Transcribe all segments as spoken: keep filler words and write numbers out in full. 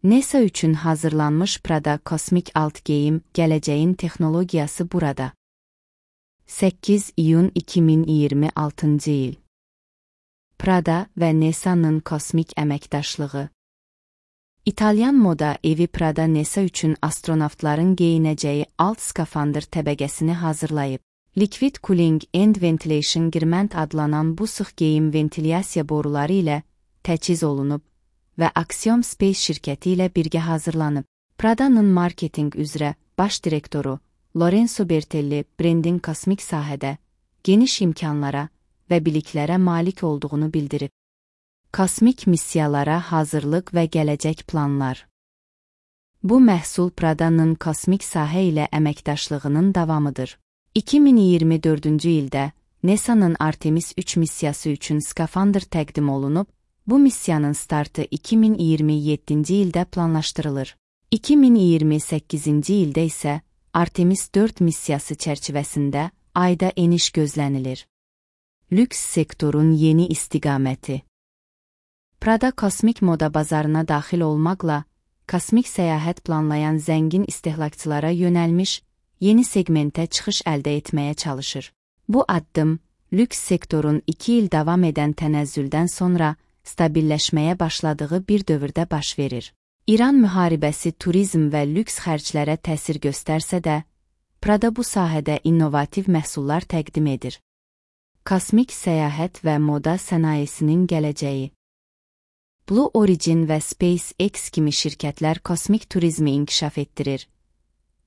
NASA üçün hazırlanmış Prada kosmik alt geyim, gələcəyin texnologiyası burada. səkkiz iyun iki min iyirmi altıncı il. Prada və NASA'nın kosmik əməkdaşlığı. İtalyan moda evi Prada NASA üçün astronavtların geyinəcəyi alt skafandr təbəqəsini hazırlayıb. Liquid Cooling and Ventilation Girment adlanan bu sıx geyim ventilyasiya boruları ilə təchiz olunub və Axiom Space şirkəti ilə birgə hazırlanıb. Prada'nın marketinq üzrə baş direktoru Lorenzo Bertelli brendin kosmik sahədə geniş imkanlara və biliklərə malik olduğunu bildirib. Kosmik missiyalara hazırlıq və gələcək planlar. Bu məhsul Prada'nın kosmik sahə ilə əməkdaşlığının davamıdır. iki min iyirmi dördüncü ildə NASA'nın Artemis üç missiyası üçün skafandr təqdim olunub, bu missiyanın startı iki min iyirmi yeddinci ildə planlaşdırılır. iki min iyirmi səkkizinci ildə isə Artemis dörd missiyası çərçivəsində ayda eniş gözlənilir. Lüks sektorun yeni istiqaməti. Prada kosmik moda bazarına daxil olmaqla, kosmik səyahət planlayan zəngin istehlakçılara yönəlmiş yeni segmentə çıxış əldə etməyə çalışır. Bu addım, lüks sektorun iki il davam edən tənəzzüldən sonra stabilləşməyə başladığı bir dövrdə baş verir. İran müharibəsi turizm və lüks xərclərə təsir göstərsə də, Prada bu sahədə innovativ məhsullar təqdim edir. Kosmik səyahət və moda sənayesinin gələcəyi. Blue Origin və SpaceX kimi şirkətlər kosmik turizmi inkişaf etdirir.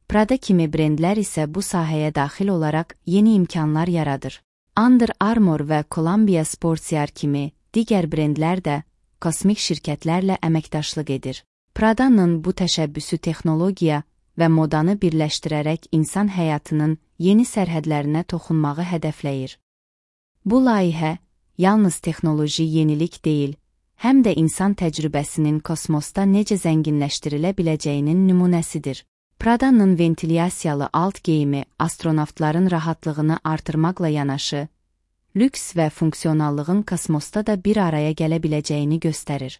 Prada kimi brendlər isə bu sahəyə daxil olaraq yeni imkanlar yaradır. Under Armour və Columbia Sportswear kimi digər brendlər də kosmik şirkətlərlə əməkdaşlıq edir. Prada'nın bu təşəbbüsü texnologiya və modanı birləşdirərək insan həyatının yeni sərhədlərinə toxunmağı hədəfləyir. Bu layihə yalnız texnoloji yenilik deyil, həm də insan təcrübəsinin kosmosda necə zənginləşdirilə biləcəyinin nümunəsidir. Prada'nın ventilyasiyalı alt geyimi astronavtların rahatlığını artırmaqla yanaşı, lüks və funksionallığın kosmosda da bir araya gələ biləcəyini göstərir.